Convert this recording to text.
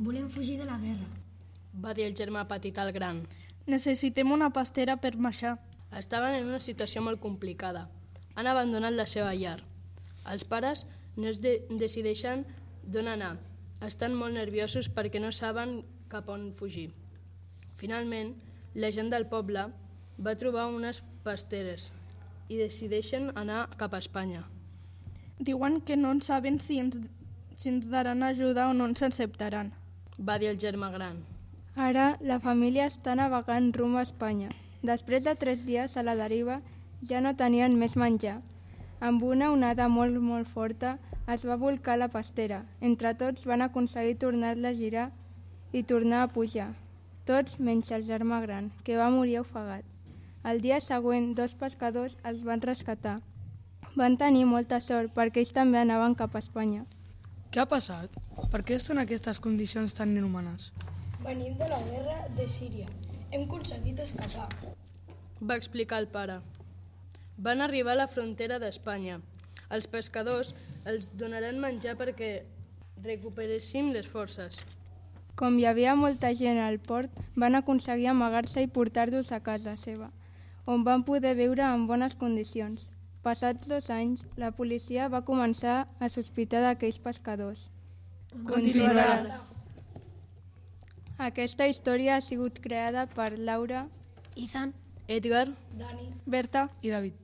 Volem fugir de la guerra, va dir el germà petit al gran. Necessitem una pastera per marxar. Estaven en una situació molt complicada. Han abandonat la seva llar. Els pares no es decideixen d'on anar. Estan molt nerviosos perquè no saben cap on fugir. Finalment, la gent del poble va trobar unes pasteres i decideixen anar cap a Espanya. Diuen que no saben si ens daran ajuda o no ens acceptaran, va dir el germà gran. Ara la família està navegant rumb a Espanya. Després de 3 dies a la deriva ja no tenien més menjar. Amb una onada molt forta es va volcar la pastera. Entre tots van aconseguir tornar-la a girar i tornar a pujar. Tots menys el germà gran, que va morir ofegat. El dia següent 2 pescadors els van rescatar. Van tenir molta sort perquè ells també anaven cap a Espanya. Què ha passat? Per què estan en aquestes condicions tan inhumanes? venim de la guerra de Síria. Hem aconseguit escapar. Va explicar el pare. Van arribar a la frontera d'Espanya. Els pescadors els donaran menjar perquè recuperéssim les forces. Com hi havia molta gent al port, van aconseguir amagar-se i portar-los a casa seva, on van poder viure en bones condicions. Passats 2 anys, la policia va començar a sospitar d'aquells pescadors. Continuarà. Aquesta història ha sigut creada per Laura, Ethan, Edgar, Dani, Berta I David.